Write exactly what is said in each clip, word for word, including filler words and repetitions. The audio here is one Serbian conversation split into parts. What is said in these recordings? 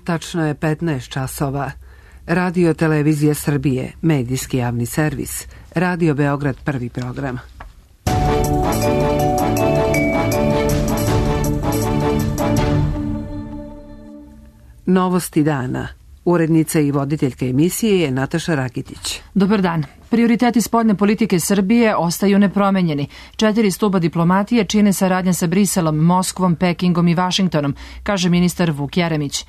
Tačno je petnaest časova. Radio Televizija Srbije, medijski javni servis. Radio Beograd, prvi program. Novosti dana. Urednica i voditeljka emisije je Nataša Rakitić. Dobar dan. Prioriteti spoljne politike Srbije ostaju nepromenjeni. Četiri stuba diplomatije čine saradnja sa Briselom, Moskvom, Pekingom i Vašingtonom, kaže ministar Vuk Jeremić.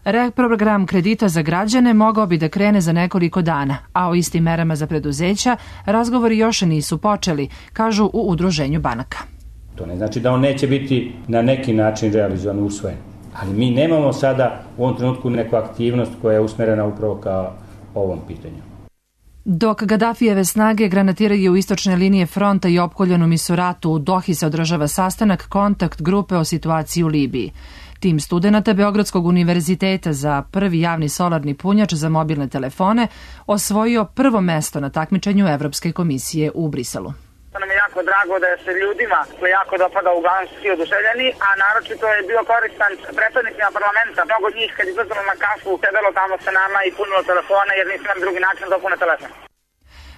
Reprogram kredita za građane mogao bi da krene za nekoliko dana, a o istim merama za preduzeća razgovori još nisu počeli, kažu u Udruženju banaka. To ne znači da on neće biti na neki način realizovan, usvojen. Ali mi nemamo sada u ovom trenutku neku aktivnost koja je usmerena upravo ka ovom pitanju. Dok Gadafijeve snage granatiraju istočne linije fronta i opkoljenu Misuratu, u Dohi se održava sastanak kontakt grupe o situaciji u Libiji. Tim studenata Beogradskog univerziteta za prvi javni solarni punjač za mobilne telefone osvojio prvo mesto na takmičenju Evropske komisije u Briselu. Nam je jako drago da je se ljudima koji jako dopada uglavnom su svi oduševljeni, a naročito je bio koristan predstavnicima parlamenta. Mnogo od njih kad izlazilo na kafu sedelo tamo sa nama i punilo telefone jer nisu nam drugi način da pune telefon.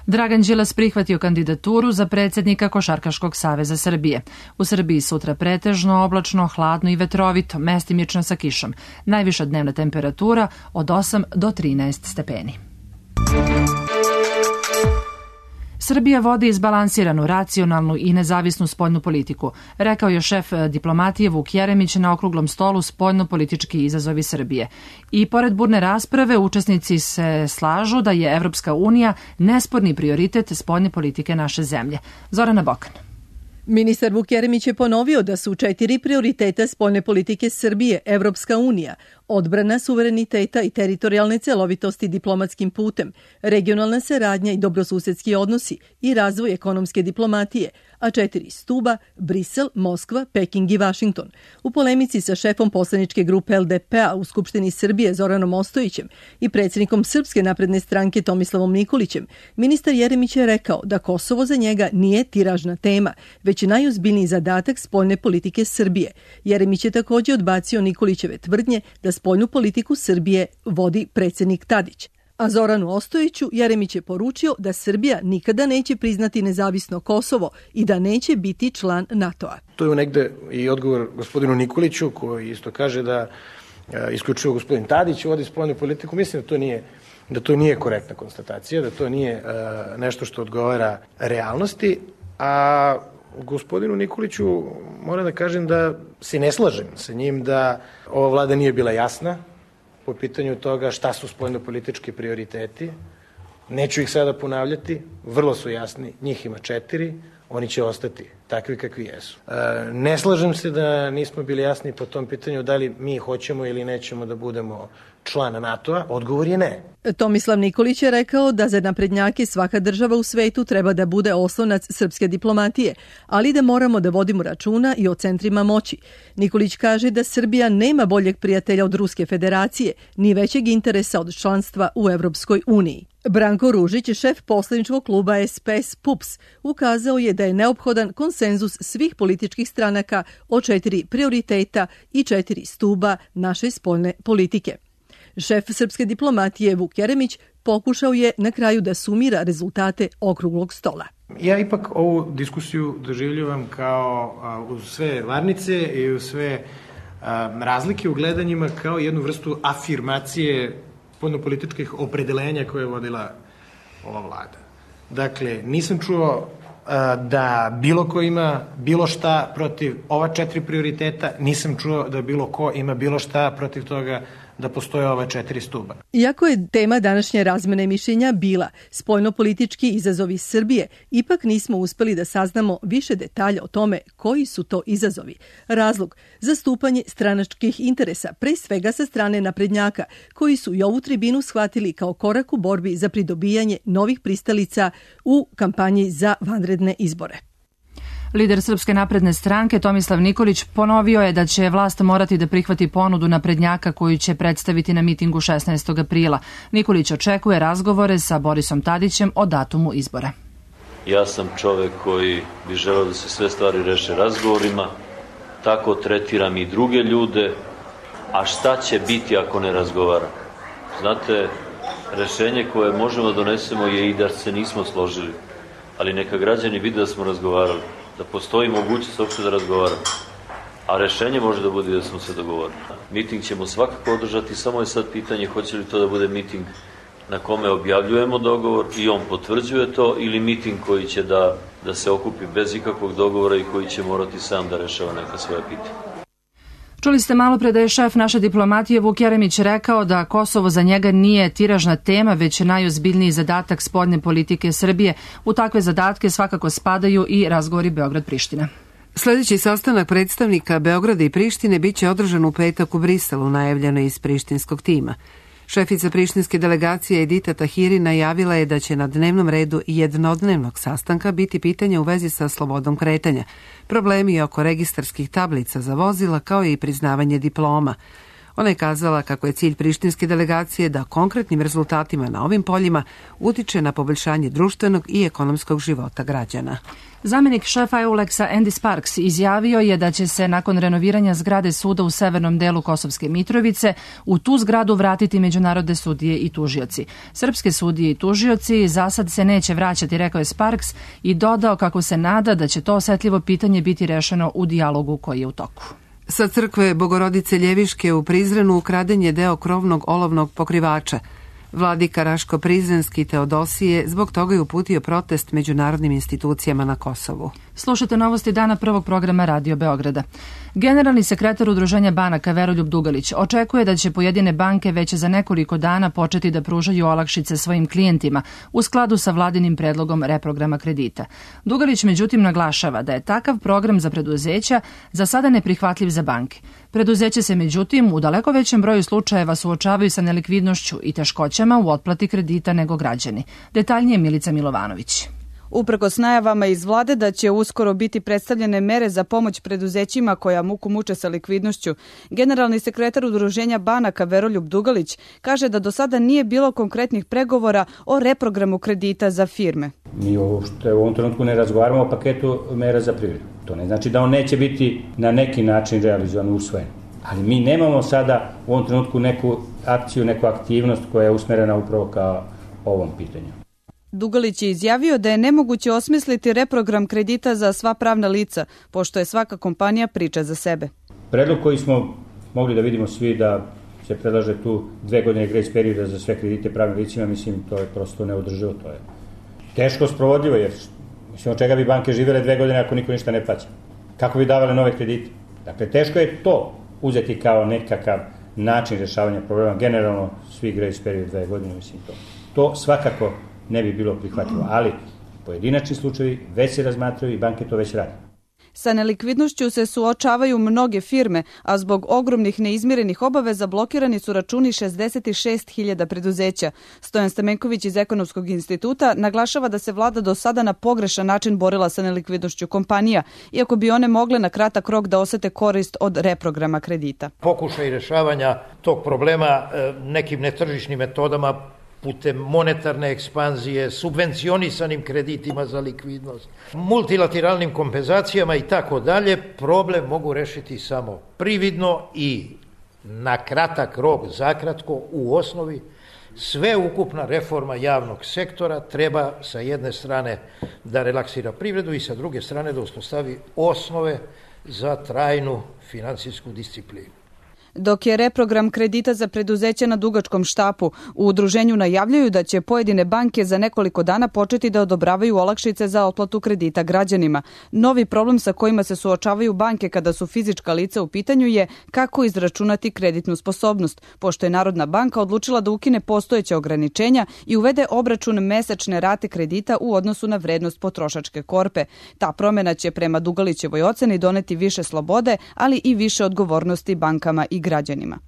Dragan Đilas prihvatio kandidaturu za predsjednika Košarkaškog saveza Srbije. U Srbiji sutra pretežno, oblačno, hladno i vetrovito, mestimično sa kišom. Najviša dnevna temperatura od osam do trinaest stepeni. Srbija vodi izbalansiranu, racionalnu i nezavisnu spoljnu politiku, rekao je šef diplomatije Vuk Jeremić na okruglom stolu spoljno-politički izazovi Srbije. I pored burne rasprave, učesnici se slažu da je Evropska unija nesporni prioritet spoljne politike naše zemlje. Zorana Bokan. Ministar Vuk Jeremić je ponovio da su četiri prioriteta spoljne politike Srbije Evropska unija, odbrana suvereniteta i teritorijalne celovitosti diplomatskim putem, regionalna saradnja i dobrosusedski odnosi i razvoj ekonomske diplomatije, a četiri stuba Brisel, Moskva, Peking i Vašington. U polemici sa šefom poslaničke grupe L D P-a u Skupštini Srbije Zoranom Ostojićem i predsjednikom Srpske napredne stranke Tomislavom Nikolićem, ministar Jeremić je rekao da Kosovo za njega nije tiražna tema, već je najozbiljniji zadatak spoljne politike Srbije. Jeremić je također odbacio Nikolićeve tvrdnje da spoljnu politiku Srbije vodi predsjednik Tadić. A Zoranu Ostojiću Jeremić je poručio da Srbija nikada neće priznati nezavisno Kosovo i da neće biti član NATO-a. To je negde i odgovor gospodinu Nikoliću koji isto kaže da isključivo gospodin Tadić vodi spoljnu politiku. Mislim da to nije, da to nije korektna konstatacija, da to nije uh, nešto što odgovara realnosti, a gospodinu Nikoliću moram da kažem da se ne slažem sa njim da ova vlada nije bila jasna po pitanju toga šta su spoljnopolitički prioriteti. Neću ih sada ponavljati, vrlo su jasni, njih ima četiri, oni će ostati takvi kakvi jesu. E, ne slažem se da nismo bili jasni po tom pitanju da li mi hoćemo ili nećemo da budemo člana NATO-a, odgovor je ne. Tomislav Nikolić je rekao da za naprednjake svaka država u svetu treba da bude oslonac srpske diplomatije, ali da moramo da vodimo računa i o centrima moći. Nikolić kaže da Srbija nema boljeg prijatelja od Ruske federacije, ni većeg interesa od članstva u Evropskoj uniji. Branko Ružić, šef poslaničkog kluba S P S P U P S, ukazao je da je neophodan konsenzus svih političkih stranaka o četiri prioriteta i četiri stuba naše spoljne politike. Šef srpske diplomatije Vuk Jeremić pokušao je na kraju da sumira rezultate okruglog stola. Ja ipak ovu diskusiju doživljavam kao a, uz sve varnice i uz sve a, razlike u gledanjima kao jednu vrstu afirmacije spoljnopolitičkih opredelenja koje je vodila ova vlada. Dakle, nisam čuo a, da bilo ko ima bilo šta protiv ova četiri prioriteta, nisam čuo da bilo ko ima bilo šta protiv toga da postoje ova četiri stuba. Iako je tema današnje razmene mišljenja bila spoljnopolitički izazovi Srbije, ipak nismo uspeli da saznamo više detalja o tome koji su to izazovi. Razlog, zastupanje stranačkih interesa, pre svega sa strane naprednjaka, koji su i ovu tribinu shvatili kao korak u borbi za pridobijanje novih pristalica u kampanji za vanredne izbore. Lider Srpske napredne stranke Tomislav Nikolić ponovio je da će vlast morati da prihvati ponudu naprednjaka koju će predstaviti na mitingu šesnaestog aprila. Nikolić očekuje razgovore sa Borisom Tadićem o datumu izbora. Ja sam čovek koji bi želeo da se sve stvari reše razgovorima, tako tretiram i druge ljude A šta će biti ako ne razgovara? Znate, rešenje koje možemo da donesemo je i da se nismo složili, ali neka građani vide da smo razgovarali, da postoji mogućnost uopšte da razgovaramo. A rešenje može da bude da smo se dogovorili. Miting ćemo svakako održati, samo je sad pitanje hoće li to da bude miting na kome objavljujemo dogovor i on potvrđuje to, ili miting koji će da, da se okupi bez ikakvog dogovora i koji će morati sam da rešava neka svoja pitanja. Čuli ste malo pre da je šef naše diplomatije Vuk Jeremić rekao da Kosovo za njega nije tiražna tema, već najozbiljniji zadatak spoljne politike Srbije. U takve zadatke svakako spadaju i razgovori Beograd-Priština. Sljedeći sastanak predstavnika Beograda i Prištine biće održan u petak u Briselu, najavljeno iz prištinskog tima. Šefica prištinske delegacije Edita Tahiri najavila je da će na dnevnom redu jednodnevnog sastanka biti pitanje u vezi sa slobodom kretanja, problemi oko registarskih tablica za vozila kao i priznavanje diploma. Ona je kazala kako je cilj prištinske delegacije da konkretnim rezultatima na ovim poljima utiče na poboljšanje društvenog i ekonomskog života građana. Zamenik šefa Euleksa Andy Sparks izjavio je da će se nakon renoviranja zgrade suda u severnom delu Kosovske Mitrovice u tu zgradu vratiti međunarodne sudije i tužioci. Srpske sudije i tužioci za sad se neće vraćati, rekao je Sparks i dodao kako se nada da će to osetljivo pitanje biti rešeno u dijalogu koji je u toku. Sa crkve Bogorodice Ljeviške u Prizrenu ukraden je deo krovnog olovnog pokrivača. Vladika Raško Prizrenski Teodosije zbog toga je uputio protest međunarodnim institucijama na Kosovu. Slušajte novosti dana prvog programa Radio Beograda. Generalni sekretar Udruženja banaka Veroljub Dugalić očekuje da će pojedine banke već za nekoliko dana početi da pružaju olakšice svojim klijentima u skladu sa vladinim predlogom reprograma kredita. Dugalić međutim naglašava da je takav program za preduzeća za sada neprihvatljiv za banke. Preduzeće se međutim u daleko većem broju slučajeva suočavaju sa nelikvidnošću i teškoćama u otplati kredita nego građani. Detaljnije Milica Milovanović. Uprkos najavama iz vlade da će uskoro biti predstavljene mere za pomoć preduzećima koja muku muče sa likvidnošću, generalni sekretar Udruženja banaka Veroljub Dugalić kaže da do sada nije bilo konkretnih pregovora o reprogramu kredita za firme. Mi uopšte u ovom trenutku ne razgovaramo o paketu mera za privredu. To ne znači da on neće biti na neki način realizovan, usvojen. Ali mi nemamo sada u ovom trenutku neku akciju, neku aktivnost koja je usmerena upravo ka ovom pitanju. Dugalić je izjavio da je nemoguće osmisliti reprogram kredita za sva pravna lica, pošto je svaka kompanija priča za sebe. Predlog koji smo mogli da vidimo svi da se predlaže tu dve godine grace perioda za sve kredite pravnim licima, mislim, to je prosto neodrživo, to je teško sprovodljivo, jer mislim, od čega bi banke živjele dve godine ako niko ništa ne plaća? Kako bi davale nove kredite? Dakle, teško je to uzeti kao nekakav način rješavanja problema, generalno svi grace period dve godine, mislim, to. To svakako ne bi bilo prihvatljivo, ali pojedinačni slučajevi već se razmatraju i banke to već rade. Sa nelikvidnošću se suočavaju mnoge firme, a zbog ogromnih neizmirenih obaveza blokirani su računi šezdeset šest hiljada preduzeća. Stojan Stamenković iz Ekonomskog instituta naglašava da se vlada do sada na pogrešan način borila sa nelikvidnošću kompanija, iako bi one mogle na kratak rok da osete korist od reprograma kredita. Pokušaj rešavanja tog problema nekim netržišnim metodama putem monetarne ekspanzije, subvencionisanim kreditima za likvidnost, multilateralnim kompenzacijama i tako dalje, problem mogu rešiti samo prividno i na kratak rok, zakratko, u osnovi sveukupna reforma javnog sektora treba sa jedne strane da relaksira privredu i sa druge strane da uspostavi osnove za trajnu finansijsku disciplinu. Dok je reprogram kredita za preduzeće na dugačkom štapu, u udruženju najavljuju da će pojedine banke za nekoliko dana početi da odobravaju olakšice za otplatu kredita građanima. Novi problem sa kojima se suočavaju banke kada su fizička lica u pitanju je kako izračunati kreditnu sposobnost, pošto je Narodna banka odlučila da ukine postojeća ograničenja i uvede obračun mesečne rate kredita u odnosu na vrednost potrošačke korpe. Ta promjena će prema Dugalićevoj oceni doneti više slobode, ali i više odgovornosti bankama i građanima.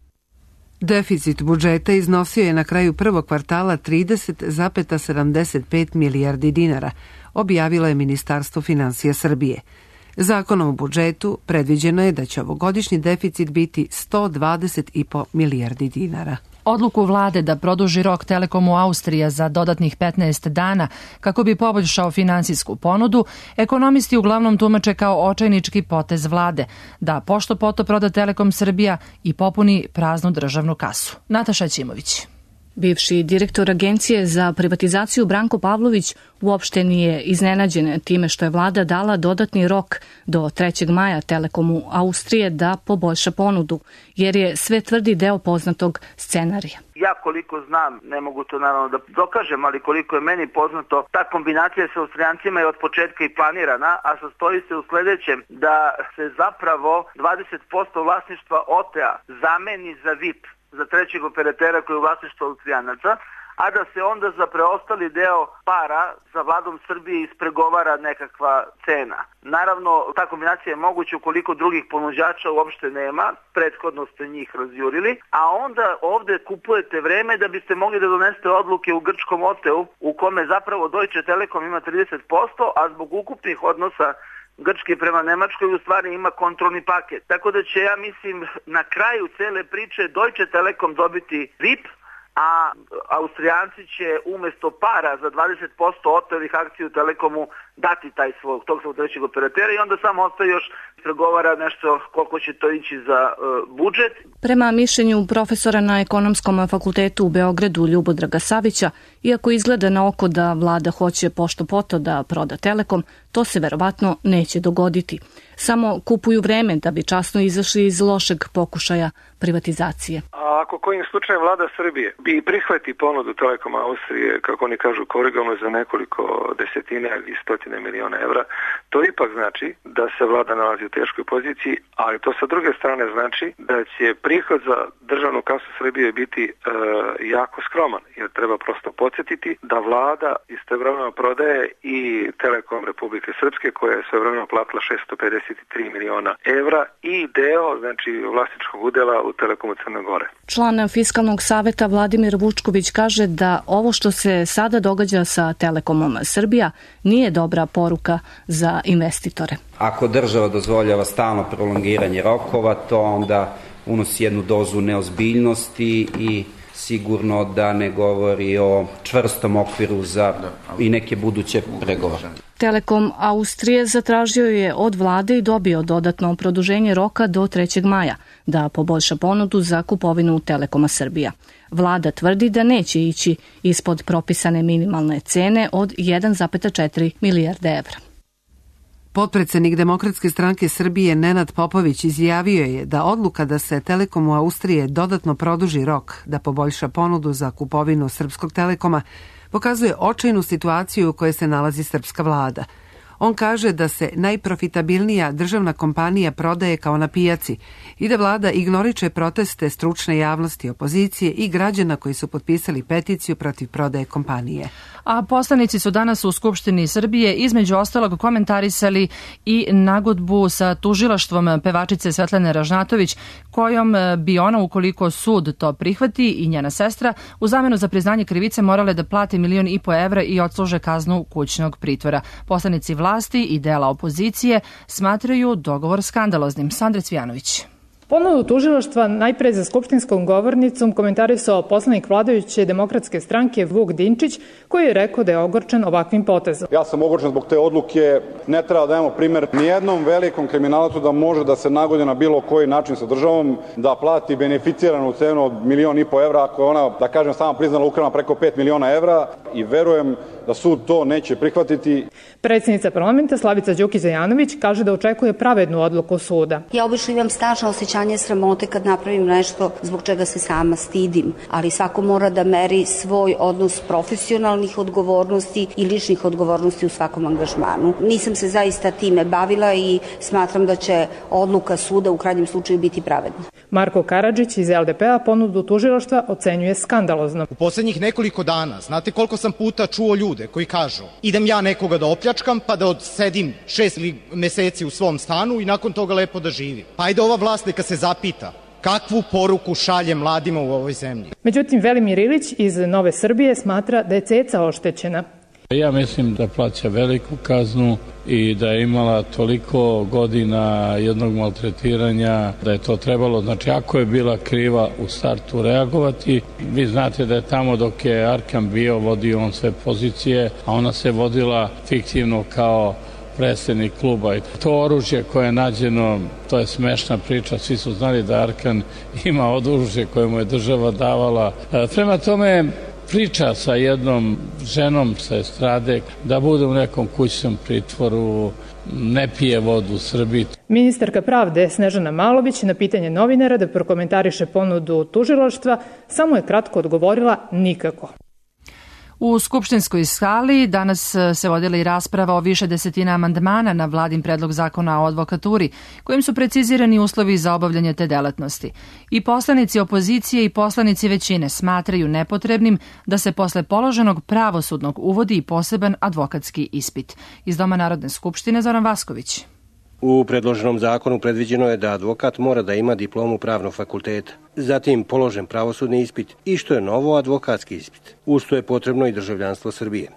Deficit budžeta iznosio je na kraju prvog kvartala trideset zarez sedamdeset pet milijardi dinara, objavilo je Ministarstvo finansija Srbije. Zakonom o budžetu predviđeno je da će ovogodišnji deficit biti sto dvadeset zarez pet milijardi dinara. Odluku vlade da produži rok Telekomu Austrija za dodatnih petnaest dana kako bi poboljšao finansijsku ponudu, ekonomisti uglavnom tumače kao očajnički potez vlade, da pošto poto proda Telekom Srbija i popuni praznu državnu kasu. Nataša Ćimović. Bivši direktor Agencije za privatizaciju Branko Pavlović uopšte nije iznenađen time što je vlada dala dodatni rok do trećeg maja Telekomu Austrije da poboljša ponudu, jer je sve tvrdi deo poznatog scenarija. Ja koliko znam, ne mogu to naravno da dokažem, ali koliko je meni poznato, ta kombinacija sa Austrijancima je od početka i planirana, a sastoji se u sledećem, da se zapravo dvadeset posto vlasništva O T A zameni za V I P, za trećeg operatera koji je u vlasništvu Austrijanaca, a da se onda za preostali deo para za vladom Srbije ispregovara nekakva cena. Naravno, ta kombinacija je moguća ukoliko drugih ponuđača uopšte nema, prethodno ste njih razjurili, a onda ovde kupujete vreme da biste mogli da donesete odluke u grčkom O T E U, u kome zapravo Deutsche Telekom ima trideset posto, a zbog ukupnih odnosa Grčke prema Nemačkoj u stvari ima kontrolni paket. Tako da će, ja mislim, na kraju cele priče Deutsche Telekom dobiti V I P, a Austrijanci će umesto para za dvadeset posto oteovih akcija u Telekomu dati taj svog, tog svog trećeg operatera i onda samo ostaje još pregovara nešto koliko će to ići za uh, budžet. Prema mišljenju profesora na Ekonomskom fakultetu u Beogradu Ljubodraga Savića, iako izgleda na oko da vlada hoće pošto poto da proda Telekom, to se verovatno neće dogoditi. Samo kupuju vreme da bi časno izašli iz lošeg pokušaja privatizacije. A ako kojim slučajem vlada Srbije bi prihvati ponudu Telekoma Austrije, kako oni kažu, korigovano za nekoliko desetina ili stotine miliona evra, to ipak znači da se vlada nalazi u teškoj poziciji, ali to sa druge strane znači da će prihod za državnu kasu Srbije biti e, jako skroman, jer treba prosto podsjetiti da vlada istovremeno prodaje i Telekom Republike Srpske, koja je svojevremeno platila šessto pedeset tri miliona evra i deo, znači, vlasničkog udela u Telekomu Crne Gore. Član Fiskalnog saveta Vladimir Vučković kaže da ovo što se sada događa sa Telekomom Srbija nije dobra poruka za investitore. Ako država dozvoljava stalno prolongiranje rokova, to onda unosi jednu dozu neozbiljnosti i sigurno da ne govori o čvrstom okviru za i neke buduće pregovore. Telekom Austrije zatražio je od vlade i dobio dodatno produženje roka do trećeg maja da poboljša ponudu za kupovinu Telekoma Srbija. Vlada tvrdi da neće ići ispod propisane minimalne cene od jedan zarez četiri milijarde evra. Potpredsednik Demokratske stranke Srbije Nenad Popović izjavio je da odluka da se Telekomu Austrije dodatno produži rok da poboljša ponudu za kupovinu Srpskog Telekoma pokazuje očajnu situaciju u kojoj se nalazi srpska vlada. On kaže da se najprofitabilnija državna kompanija prodaje kao na pijaci i da vlada ignoriše proteste stručne javnosti, opozicije i građana koji su potpisali peticiju protiv prodaje kompanije. A poslanici su danas u Skupštini Srbije između ostalog komentarisali i nagodbu sa tužilaštvom pevačice Svetlane Ražnatović, kojom bi ona, ukoliko sud to prihvati, i njena sestra, u zamenu za priznanje krivice morale da plate milion i po evra i odsluže kaznu kućnog pritvora. Poslanici vlasti i dela opozicije smatraju dogovor skandaloznim. Sandra Cvijanović. Ponudu tužilaštva najpre za skupštinskom govornicom komentarisao poslanik vladajuće Demokratske stranke Vuk Dinčić, koji je rekao da je ogorčen ovakvim potezom. Ja sam ogorčen zbog te odluke. Ne treba da dajemo primer nijednom velikom kriminalcu da može da se nagodje na bilo koji način sa državom, da plati beneficiranu cenu od milion i po evra, ako je ona, da kažem, sama priznala ukrana preko pet miliona evra, i verujem da sud to neće prihvatiti. Predsjednica parlamenta Slavica Đukić Dejanović kaže da očekuje pravednu odluku suda. Ja obično imam snažno osjećanje sramote kad napravim nešto zbog čega se sama stidim, ali svako mora da meri svoj odnos profesionalnih odgovornosti i ličnih odgovornosti u svakom angažmanu. Nisam se zaista time bavila i smatram da će odluka suda u krajnjem slučaju biti pravedna. Marko Karadžić iz L D P-a ponudu tužilaštva ocenjuje skandalozno. U poslednjih nekoliko dana, znate koliko sam puta čuo ljude koji kažu: idem ja nekoga da opljačkam pa da odsedim šest meseci u svom stanu i nakon toga lepo da živim. Pa ajde ova vlast neka se zapita kakvu poruku šalje mladima u ovoj zemlji. Međutim, Velimir Ilić iz Nove Srbije smatra da je ceca oštećena. Ja mislim da plaća veliku kaznu i da je imala toliko godina jednog maltretiranja da je to trebalo, znači ako je bila kriva u startu reagovati. Vi znate da je tamo dok je Arkan bio vodio on sve pozicije, a ona se vodila fiktivno kao predsednik kluba. I to oružje koje je nađeno, to je smešna priča, svi su znali da Arkan ima oružje koje mu je država davala. Prema tome, priča sa jednom ženom sa estrade da bude u nekom kućnom pritvoru, ne pije vodu u Srbiji. Ministarka pravde Snežana Malović na pitanje novinara da prokomentariše ponudu tužilaštva samo je kratko odgovorila nikako. U Skupštinskoj sali danas se vodila i rasprava o više desetina amandmana na vladin predlog zakona o advokaturi, kojim su precizirani uslovi za obavljanje te delatnosti. I poslanici opozicije i poslanici većine smatraju nepotrebnim da se posle položenog pravosudnog uvodi i poseban advokatski ispit. Iz Doma Narodne skupštine Zoran Vasković. U predloženom zakonu predviđeno je da advokat mora da ima diplomu pravnog fakulteta, zatim položen pravosudni ispit i, što je novo, advokatski ispit. Uz to je potrebno i državljanstvo Srbije.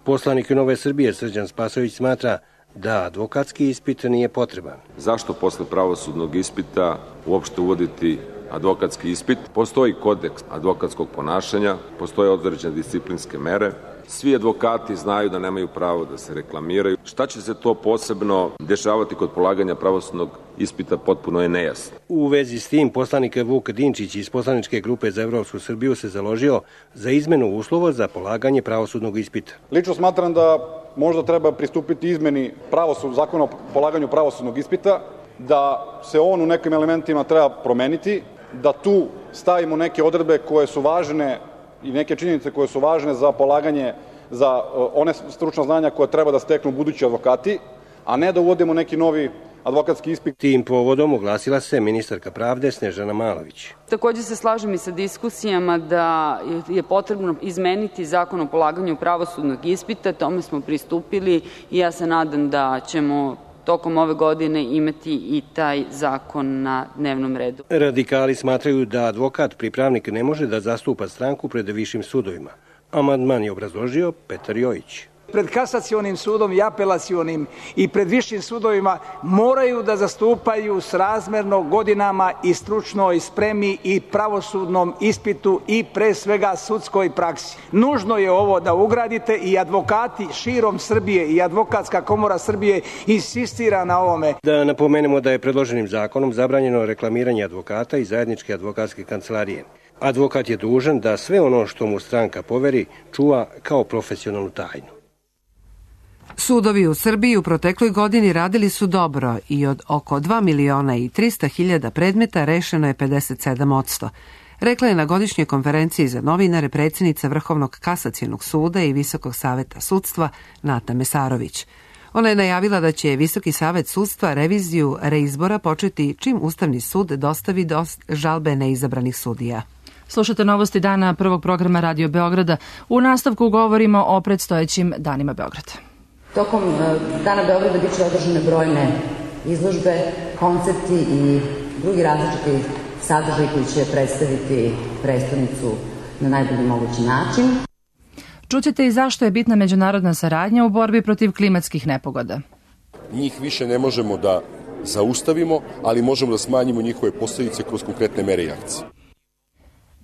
Poslanik Nove Srbije Srđan Spasović smatra da advokatski ispit nije potreban. Zašto posle pravosudnog ispita uopšte uvoditi advokatski ispit? Postoji kodeks advokatskog ponašanja, postoje određene disciplinske mere. Svi advokati znaju da nemaju pravo da se reklamiraju. Šta će se to posebno dešavati kod polaganja pravosudnog ispita potpuno je nejasno. U vezi s tim poslanik Vuk Dinčić iz poslaničke grupe za Evropsku Srbiju se založio za izmenu uslova za polaganje pravosudnog ispita. Lično smatram da možda treba pristupiti izmeni pravosud, zakona o polaganju pravosudnog ispita, da se on u nekim elementima treba promeniti, da tu stavimo neke odredbe koje su važne i neke činjenice koje su važne za polaganje, za one stručna znanja koje treba da steknu budući advokati, a ne da uvodimo neki novi advokatski ispit. Tim povodom oglasila se ministarka pravde Snežana Malović. Takođe se slažem i sa diskusijama da je potrebno izmeniti zakon o polaganju pravosudnog ispita, tome smo pristupili i ja se nadam da ćemo tokom ove godine imati i taj zakon na dnevnom redu. Radikali smatraju da advokat pripravnik ne može da zastupa stranku pred višim sudovima. Amandman je obrazložio Petar Jojić. Pred kasacionim sudom i apelacionim i pred višim sudovima moraju da zastupaju srazmerno godinama i stručnoj spremi i pravosudnom ispitu i pre svega sudskoj praksi. Nužno je ovo da ugradite i advokati širom Srbije i Advokatska komora Srbije insistira na ovome. Da napomenemo da je predloženim zakonom zabranjeno reklamiranje advokata i zajedničke advokatske kancelarije. Advokat je dužan da sve ono što mu stranka poveri čuva kao profesionalnu tajnu. Sudovi u Srbiji u protekloj godini radili su dobro i od oko dva miliona i trista hiljada predmeta rešeno je pedeset sedam odsto. Rekla je na godišnjoj konferenciji za novinare predsjednica Vrhovnog kasacionog suda i Visokog saveta sudstva Nata Mesarović. Ona je najavila da će Visoki savet sudstva reviziju reizbora početi čim Ustavni sud dostavi žalbe neizabranih sudija. Slušate novosti dana prvog programa Radio Beograda. U nastavku govorimo o predstojećim danima Beograda. Tokom Dana Beograda bit će održane brojne izložbe, koncerti i drugi različiti sadržaj koji će predstaviti prestonicu na najbolji mogući način. Čućete i zašto je bitna međunarodna saradnja u borbi protiv klimatskih nepogoda. Njih više ne možemo da zaustavimo, ali možemo da smanjimo njihove posljedice kroz konkretne mere i akcije.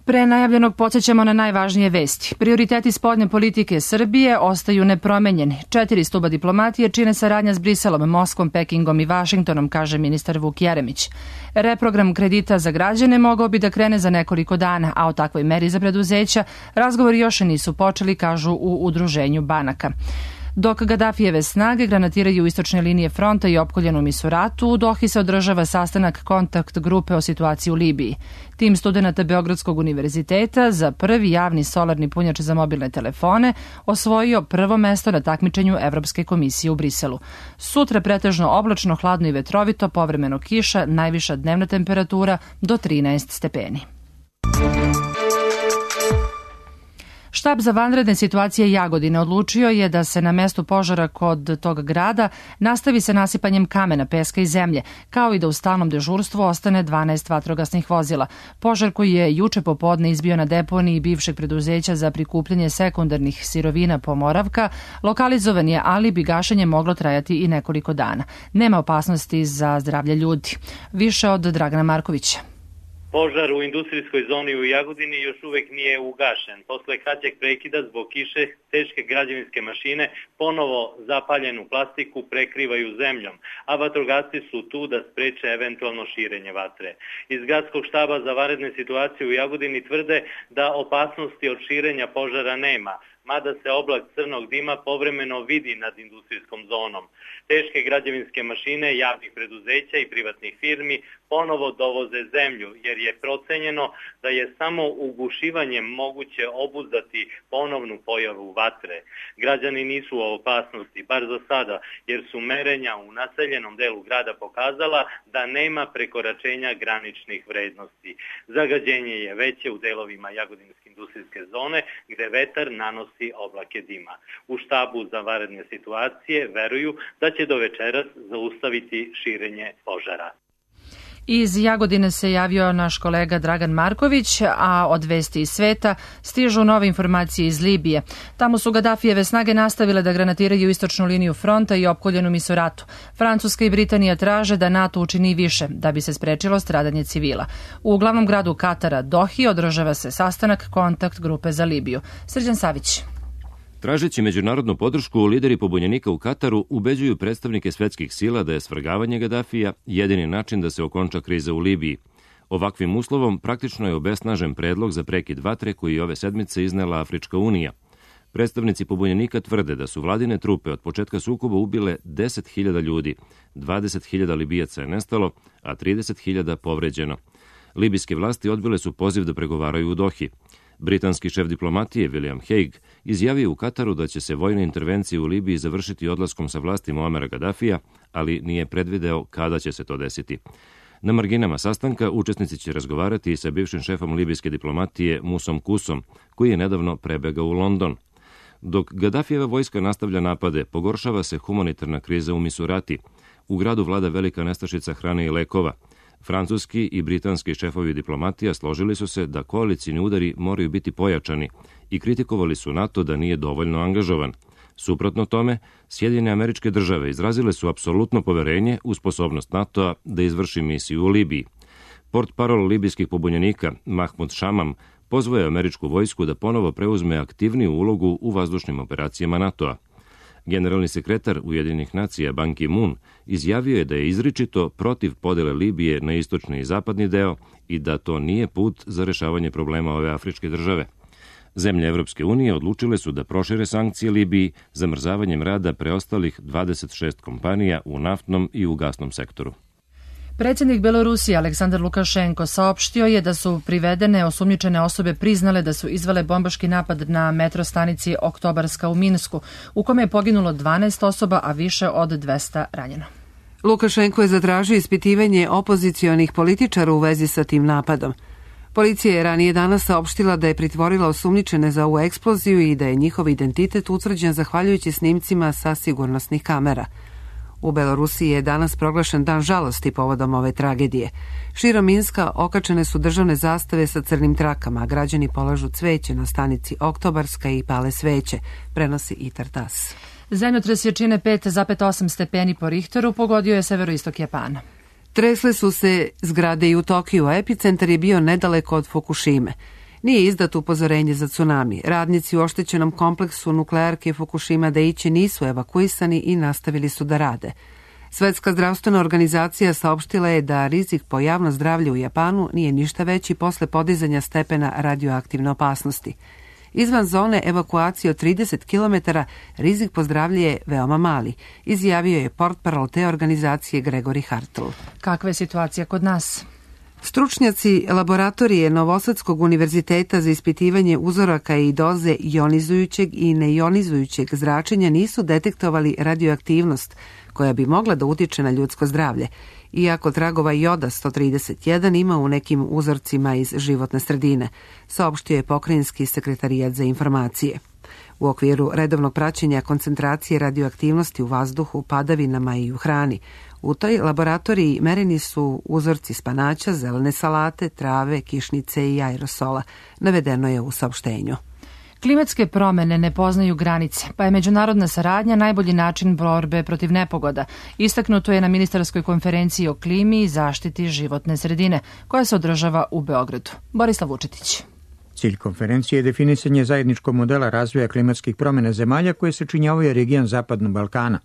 Pre najavljenog podsjećamo na najvažnije vesti. Prioriteti spoljne politike Srbije ostaju nepromenjeni. Četiri stuba diplomatije čine saradnja s Briselom, Moskvom, Pekingom i Vašingtonom, kaže ministar Vuk Jeremić. Reprogram kredita za građane mogao bi da krene za nekoliko dana, a o takvoj meri za preduzeća razgovori još nisu počeli, kažu u Udruženju banaka. Dok Gadafijeve snage granatiraju istočne linije fronta i opkoljenu Misuratu, u Dohi se održava sastanak kontakt grupe o situaciji u Libiji. Tim studenta Beogradskog univerziteta za prvi javni solarni punjač za mobilne telefone osvojio prvo mesto na takmičenju Evropske komisije u Briselu. Sutra pretežno oblačno, hladno i vetrovito, povremeno kiša, najviša dnevna temperatura do trinaest stepeni. Štab za vanredne situacije Jagodine odlučio je da se na mestu požara kod tog grada nastavi sa nasipanjem kamena, peska i zemlje, kao i da u stalnom dežurstvu ostane dvanaest vatrogasnih vozila. Požar koji je juče popodne izbio na deponiji bivšeg preduzeća za prikupljanje sekundarnih sirovina Pomoravka, lokalizovan je, ali bi gašenje moglo trajati i nekoliko dana. Nema opasnosti za zdravlje ljudi. Više od Dragana Markovića. Požar u industrijskoj zoni u Jagodini još uvek nije ugašen. Posle kraćeg prekida zbog kiše, teške građevinske mašine ponovo zapaljenu plastiku prekrivaju zemljom, a vatrogasci su tu da spreče eventualno širenje vatre. Iz gradskog štaba za vanredne situacije u Jagodini tvrde da opasnosti od širenja požara nema, mada se oblak crnog dima povremeno vidi nad industrijskom zonom. Teške građevinske mašine javnih preduzeća i privatnih firmi ponovo dovoze zemlju, jer je procenjeno da je samo ugušivanjem moguće obuzdati ponovnu pojavu vatre. Građani nisu u opasnosti, bar za sada, jer su merenja u naseljenom delu grada pokazala da nema prekoračenja graničnih vrednosti. Zagađenje je veće u delovima Jagodinske industrijske zone, gde vetar nanosi oblake dima. U štabu za vanredne situacije veruju da će do večeras zaustaviti širenje požara. Iz Jagodine se javio naš kolega Dragan Marković, a od vesti iz sveta stižu nove informacije iz Libije. Tamo su Gadafijeve snage nastavile da granatiraju istočnu liniju fronta i opkoljenu Misuratu. Francuska i Britanija traže da NATO učini više da bi se sprečilo stradanje civila. U glavnom gradu Katara, Dohi, održava se sastanak kontakt grupe za Libiju. Srđan Savić. Tražeći međunarodnu podršku, lideri pobunjenika u Kataru ubeđuju predstavnike svetskih sila da je svrgavanje Gadafija jedini način da se okonča kriza u Libiji. Ovakvim uslovom praktično je obesnažen predlog za prekid vatre koji je ove sedmice iznela Afrička unija. Predstavnici pobunjenika tvrde da su vladine trupe od početka sukoba ubile deset hiljada ljudi, dvadeset hiljada Libijaca je nestalo, a trideset hiljada povređeno. Libijske vlasti odbile su poziv da pregovaraju u Dohi. Britanski šef diplomatije William Hague izjavio u Kataru da će se vojne intervencije u Libiji završiti odlaskom sa vlasti Muamera Gadafija, ali nije predvideo kada će se to desiti. Na marginama sastanka učesnici će razgovarati i sa bivšim šefom libijske diplomatije Musom Kusom, koji je nedavno prebegao u London. Dok Gadafijeva vojska nastavlja napade, pogoršava se humanitarna kriza u Misurati. U gradu vlada velika nestašica hrane i lekova. Francuski i britanski šefovi diplomatija složili su se da koalicijni udari moraju biti pojačani i kritikovali su NATO da nije dovoljno angažovan. Suprotno tome, Sjedinjene Američke Države izrazile su apsolutno poverenje u sposobnost NATO-a da izvrši misiju u Libiji. Portparol libijskih pobunjenika Mahmud Šamam pozvao je američku vojsku da ponovo preuzme aktivniju ulogu u vazdušnim operacijama NATO-a. Generalni sekretar Ujedinjenih nacija Ban Ki-moon izjavio je da je izričito protiv podele Libije na istočni i zapadni deo i da to nije put za rešavanje problema ove afričke države. Zemlje Evropske unije odlučile su da prošire sankcije Libiji zamrzavanjem rada preostalih dvadeset šest kompanija u naftnom i u gasnom sektoru. Predsjednik Belorusije Aleksandar Lukašenko saopštio je da su privedene osumnjičene osobe priznale da su izvele bombaški napad na metro stanici Oktobarska u Minsku, u kome je poginulo dvanaest osoba, a više od dvesta ranjeno. Lukašenko je zatražio ispitivanje opozicionih političara u vezi sa tim napadom. Policija je ranije danas saopštila da je pritvorila osumnjičene za ovu eksploziju i da je njihov identitet utvrđen zahvaljujući snimcima sa sigurnosnih kamera. U Belorusiji je danas proglašen dan žalosti povodom ove tragedije. Širom Minska okačene su državne zastave sa crnim trakama, a građani polažu cveće na stanici Oktobarska i pale sveće, prenosi i Tartas. Zemljotres jačine pet zarez osam stepeni po Richteru pogodio je severoistok Japana. Tresle su se zgrade i u Tokiju, a epicentar je bio nedaleko od Fukushime. Nije izdato upozorenje za tsunami. Radnici u oštećenom kompleksu nuklearke Fukushima Daiichi nisu evakuisani i nastavili su da rade. Svetska zdravstvena organizacija saopštila je da rizik po javno zdravlje u Japanu nije ništa veći posle podizanja stepena radioaktivne opasnosti. Izvan zone evakuacije od trideset kilometara rizik po zdravlje je veoma mali, izjavio je portparol te organizacije Gregory Hartl. Kakva je situacija kod nas? Stručnjaci laboratorije Novosadskog univerziteta za ispitivanje uzoraka i doze ionizujućeg i neionizujućeg zračenja nisu detektovali radioaktivnost koja bi mogla da utiče na ljudsko zdravlje. iako tragova joda sto trideset jedan ima u nekim uzorcima iz životne sredine, saopštio je Pokrajinski sekretarijat za informacije. U okviru redovnog praćenja koncentracije radioaktivnosti u vazduhu, padavinama i u hrani, u toj laboratoriji mereni su uzorci spanaća, zelene salate, trave, kišnice i aerosola, navedeno je u saopštenju. Klimatske promene ne poznaju granice, pa je međunarodna saradnja najbolji način borbe protiv nepogoda. Istaknuto je na ministarskoj konferenciji o klimi i zaštiti životne sredine, koja se održava u Beogradu. Borislav Vučetić. Cilj konferencije je definisanje zajedničkog modela razvoja klimatskih promjena zemalja koje se činjavaju region Zapadnog Balkana.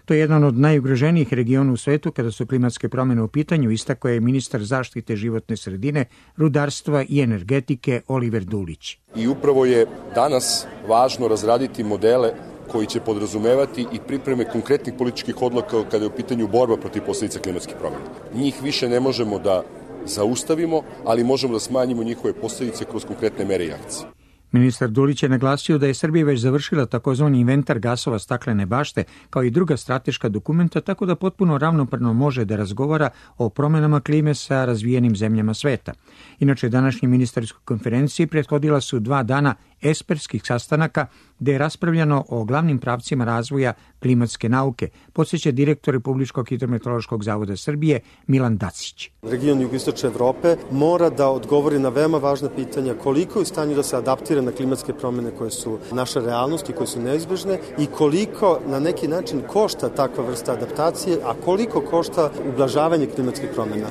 To je jedan od najugroženijih regiona u svetu kada su klimatske promjene u pitanju, istakao je ministar zaštite životne sredine, rudarstva i energetike Oliver Dulić. I upravo je danas važno razraditi modele koji će podrazumevati i pripreme konkretnih političkih odluka kada je u pitanju borba protiv posljedica klimatskih promjena. Njih više ne možemo da zaustavimo, ali možemo da smanjimo njihove posljedice kroz konkretne mere i akcije. Ministar Dulić je naglasio da je Srbija već završila takozvani inventar gasova staklene bašte kao i druga strateška dokumenta, tako da potpuno ravnopravno može da razgovara o promjenama klime sa razvijenim zemljama sveta. Inače, današnji ministarskoj konferenciji prethodila su dva dana ekspertskih sastanaka gde je raspravljano o glavnim pravcima razvoja klimatske nauke, podsjeća direktor Republičkog hidrometeorološkog zavoda Srbije Milan Dacić. Region jugoistočne Evrope mora da odgovori na veoma važna pitanja koliko je u stanju da se adaptira na klimatske promjene koje su naša realnost i koje su neizbežne i koliko na neki način košta takva vrsta adaptacije, a koliko košta ublažavanje klimatskih promjena.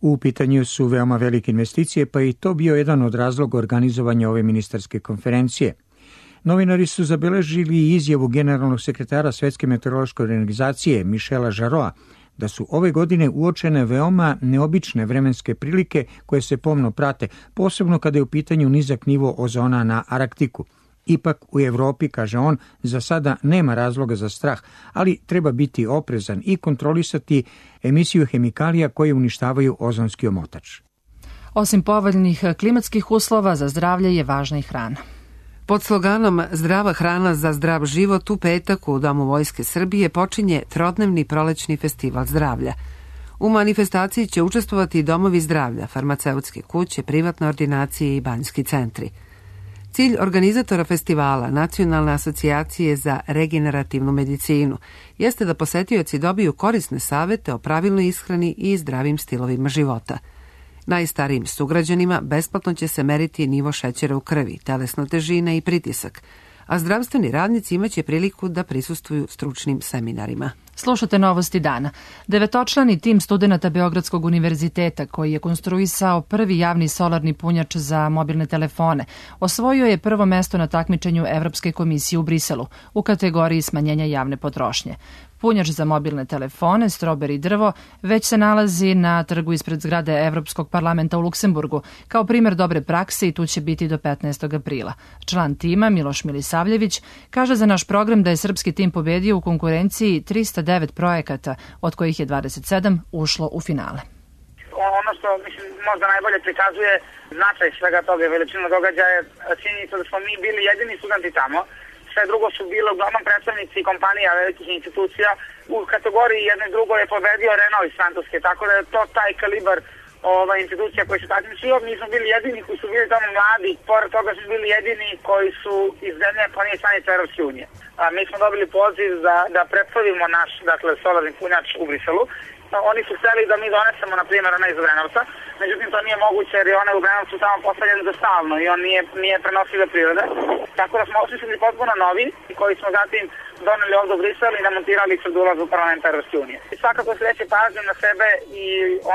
U pitanju su veoma velike investicije, pa i to bio jedan od razloga organizovanja ove ministarske konferencije. Novinari su zabeležili izjavu generalnog sekretara Svetske meteorološke organizacije Mišela Žaroa da su ove godine uočene veoma neobične vremenske prilike koje se pomno prate, posebno kada je u pitanju nizak nivo ozona na Arktiku. Ipak u Evropi, kaže on, za sada nema razloga za strah, ali treba biti oprezan i kontrolisati emisiju hemikalija koje uništavaju ozonski omotač. Osim povoljnih klimatskih uslova, za zdravlje je važna i hrana. Pod sloganom Zdrava hrana za zdrav život u petak u Domu Vojske Srbije počinje trodnevni prolećni festival zdravlja. U manifestaciji će učestvovati domovi zdravlja, farmaceutske kuće, privatne ordinacije i banjski centri. Cilj organizatora festivala, Nacionalne asocijacije za regenerativnu medicinu, jeste da posetioci dobiju korisne savete o pravilnoj ishrani i zdravim stilovima života. Najstarijim sugrađanima besplatno će se meriti nivo šećera u krvi, telesna težina i pritisak, a zdravstveni radnici imaće priliku da prisustvuju stručnim seminarima. Slušate novosti dana. Devetočlani tim studenata Beogradskog univerziteta, koji je konstruisao prvi javni solarni punjač za mobilne telefone, osvojio je prvo mesto na takmičenju Evropske komisije u Briselu u kategoriji smanjenja javne potrošnje. Punjač za mobilne telefone, Strawberry drvo, već se nalazi na trgu ispred zgrade Evropskog parlamenta u Luksemburgu, kao primjer dobre prakse i tu će biti do petnaestog aprila. Član tima, Miloš Milisavljević, kaže za naš program da je srpski tim pobedio u konkurenciji trista devet projekata, od kojih je dvadeset sedam ušlo u finale. Ono što mislim možda najbolje prikazuje značaj svega toga, veličina događaja je činjenica da smo mi bili jedini studenti tamo. Sve drugo su bile uglavnom predstavnici kompanija, velikih institucija. U kategoriji jedno i drugo je pobedio Renault iz Francuske, tako da je to taj kalibar ova institucija koji se takmičio. Mi smo bili jedini koji su bili tamo mladi, pored toga smo bili jedini koji su iz zemlje koja nije članica Evropske unije. A mi smo dobili poziv da, da predstavimo naš, dakle, solarni punjač u Briselu. Oni su hteli da mi donesemo, na primjer, onaj iz Obrenovca, međutim to nije moguće jer je onaj u Obrenovcu tamo postavljen za stalno i on nije, nije prenosiv do prirode. Tako da smo osmislili potpuno novi, koji smo zatim doneli ovdje u Brisel i namontirali pred ulaz u parlament Evropske unije. I svakako sledeće pažnje na sebe i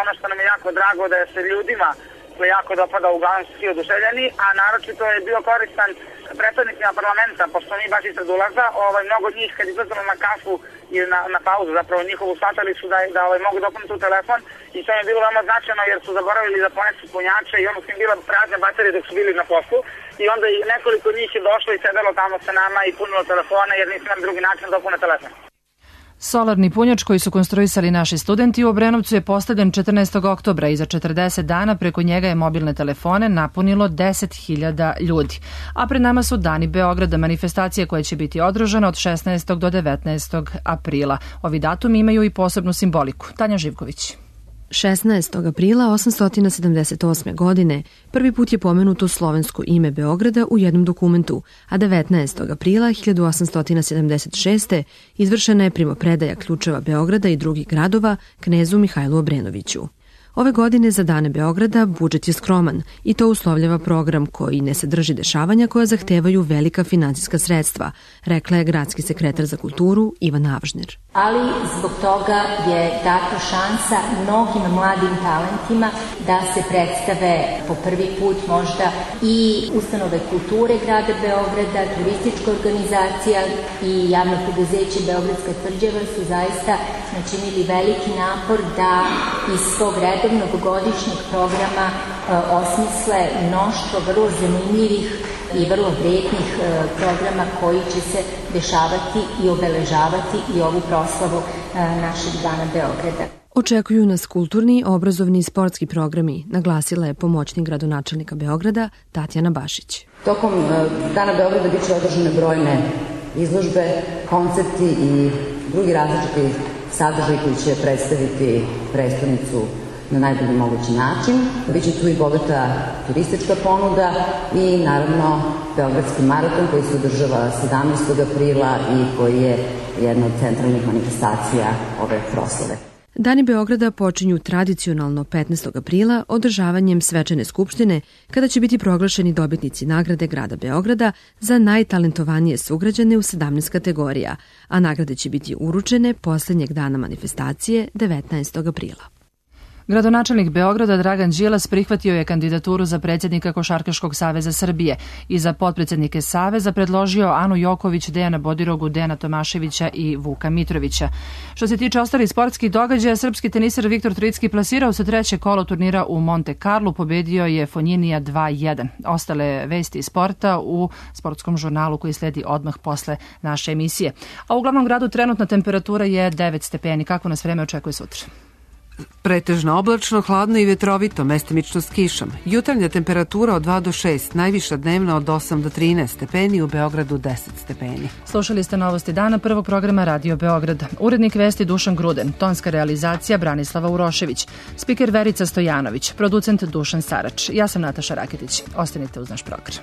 ono što nam je jako drago da je se ljudima koji jako dopada, uglavnom su svi oduševljeni, a naročito je bio koristan predstavnicima parlamenta, pošto mi baš ispred ulaza, ovaj, mnogo njih kad izlazimo na kafu ili na, na pauzu, zapravo njihovu shvatali su da, da ovaj, mogu dopuniti u telefon i to je bilo veoma značajno jer su zaboravili da ponesu punjače i onda su im bila prazne baterije dok su bili na poslu i onda i nekoliko njih je došlo i sedelo tamo sa nama i punilo telefone jer nisu nam drugi način da dopune telefon. Solarni punjač koji su konstruisali naši studenti u Obrenovcu je postavljen četrnaestog oktobra i za četrdeset dana preko njega je mobilne telefone napunilo deset hiljada ljudi. A pred nama su Dani Beograda, manifestacija koja će biti održana od šesnaestog do devetnaestog aprila. Ovi datumi imaju i posebnu simboliku. Tanja Živković. šesnaestog aprila osamsto sedamdeset osme. godine prvi put je pomenuto slovensko ime Beograda u jednom dokumentu, a devetnaestog aprila hiljadu osamsto sedamdeset šeste. izvršena je primopredaja ključeva Beograda i drugih gradova knezu Mihajlu Obrenoviću. Ove godine za Dane Beograda budžet je skroman i to uslovljava program koji ne sadrži dešavanja koja zahtevaju velika finansijska sredstva, rekla je gradski sekretar za kulturu Ivan Avžner. Ali zbog toga je data šansa mnogim mladim talentima da se predstave po prvi put možda i ustanove kulture grada Beograda, turistička organizacija i javno preduzeće Beogradska tvrđava su zaista načinili veliki napor da iz svog redovnog godišnjeg programa e, osmisle mnoštvo vrlo zanimljivih i vrlo vrednih e, programa koji će se dešavati i obeležavati i ovu proslavu e, našeg Dana Beograda. Očekuju nas kulturni, obrazovni i sportski programi, naglasila je pomoćnik gradonačelnika Beograda Tatjana Bašić. Tokom Dana Beograda biće održane brojne izložbe, koncerti i drugi različiti sadržaj koji će predstaviti prestonicu na najbolji mogući način. Biće tu i bogata turistička ponuda i naravno Beogradski maraton koji se održava sedamnaestog aprila i koji je jedna od centralnih manifestacija ove proslave. Dani Beograda počinju tradicionalno petnaestog aprila održavanjem svečane skupštine kada će biti proglašeni dobitnici nagrade grada Beograda za najtalentovanije sugrađane u sedamnaest kategorija, a nagrade će biti uručene poslednjeg dana manifestacije devetnaestog aprila. Gradonačelnik Beograda Dragan Đilas prihvatio je kandidaturu za predsjednika Košarkaškog saveza Srbije i za potpredsjednike saveza predložio Anu Joković, Dejana Bodirogu, Dejana Tomaševića i Vuka Mitrovića. Što se tiče ostalih sportskih događaja, srpski teniser Viktor Tricki plasirao se treće kolo turnira u Monte Carlo, pobedio je Fonjinija dva jedan. Ostale vesti sporta u sportskom žurnalu koji sledi odmah posle naše emisije. A u glavnom gradu trenutna temperatura je devet stepeni. Kako nas vreme očekuje sutra? Pretežno oblačno, hladno i vetrovito, mestimično s kišom. Jutarnja temperatura od dva do šest, najviša dnevna od osam do trinaest stepeni, u Beogradu deset stepeni. Slušali ste novosti dana prvog programa Radio Beograd. Urednik vesti Dušan Gruden, tonska realizacija Branislava Urošević, spiker Verica Stojanović, producent Dušan Sarač. Ja sam Nataša Raketić. Ostanite uz naš program.